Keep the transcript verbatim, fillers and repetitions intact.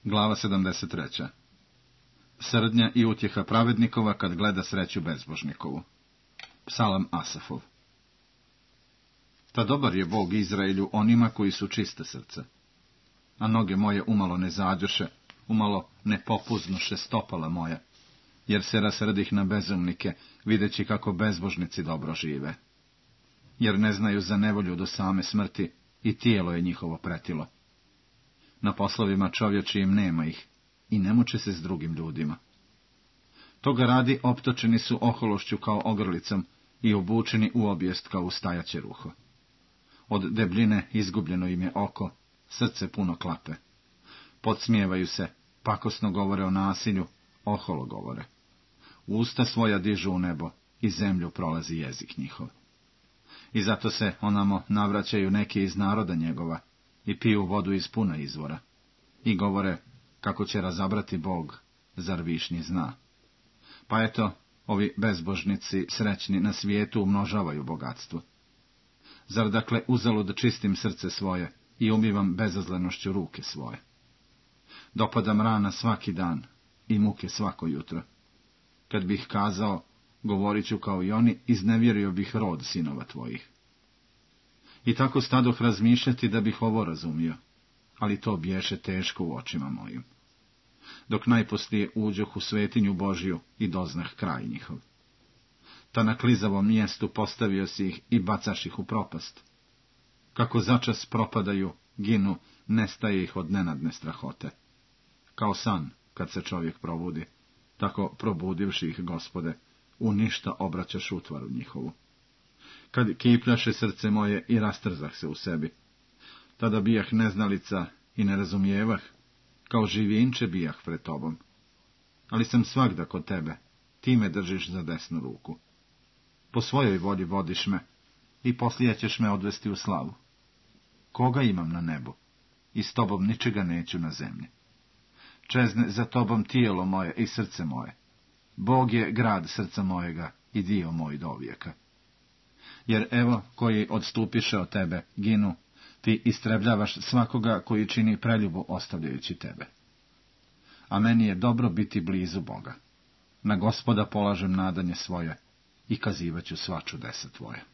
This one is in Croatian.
Glava sedamdeset treća. Srdnja i utjeha pravednikova kad gleda sreću bezbožnikovu. Psalam Asafov. Ta dobar je Bog Izraelju onima koji su čiste srce. A noge moje umalo ne zađoše, umalo ne popuznuše stopala moja, jer se rasrdih na bezumnike, videći kako bezbožnici dobro žive. Jer ne znaju za nevolju do same smrti i tijelo je njihovo pretilo. Na poslovima čovječijim nema ih i ne muče se s drugim ljudima. Toga radi optočeni su ohološću kao ogrlicom i obučeni u obijest kao ustajaće ruho. Od debljine izgubljeno im je oko, srce puno klape. Podsmijevaju se, pakosno govore o nasilju, oholo govore. Usta svoja dižu u nebo i zemlju prolazi jezik njihov. I zato se onamo navraćaju neki iz naroda njegova i piju vodu iz puna izvora. I govore kako će razabrati Bog, zar višnji zna. Pa eto, ovi bezbožnici srećni na svijetu umnožavaju bogatstvo. Zar dakle uzalud čistim srce svoje i umivam bezazlenošću ruke svoje? Dopadam rana svaki dan i muke svako jutro. Kad bih kazao, govorit ću kao i oni, iznevjerio bih rod sinova tvojih. I tako stadoh razmišljati da bih ovo razumio, ali to biješe teško u očima mojim. Dok najposlije uđoh u svetinju Božju i doznah kraj njihov. Ta na klizavom mjestu postavio si ih i bacaš ih u propast. Kako začas propadaju, ginu, nestaje ih od nenadne strahote. Kao san, kad se čovjek probudi, tako probudivši ih, Gospode, u ništa obraćaš utvaru njihovu. Kad kipljaše srce moje i rastrzah se u sebi, tada bijah neznalica i ne razumijevah, kao živinče bijah pred tobom. Ali sam svagda kod tebe, ti me držiš za desnu ruku. Po svojoj volji vodiš me i poslije ćeš me odvesti u slavu. Koga imam na nebu? I s tobom ničega neću na zemlji. Čezne za tobom tijelo moje i srce moje. Bog je grad srca mojega i dio moj do vijeka. Jer evo, koji odstupiše od tebe, ginu, ti istrebljavaš svakoga koji čini preljubu ostavljajući tebe. A meni je dobro biti blizu Boga. Na Gospoda polažem nadanje svoje i kazivaću sva čudesa tvoje.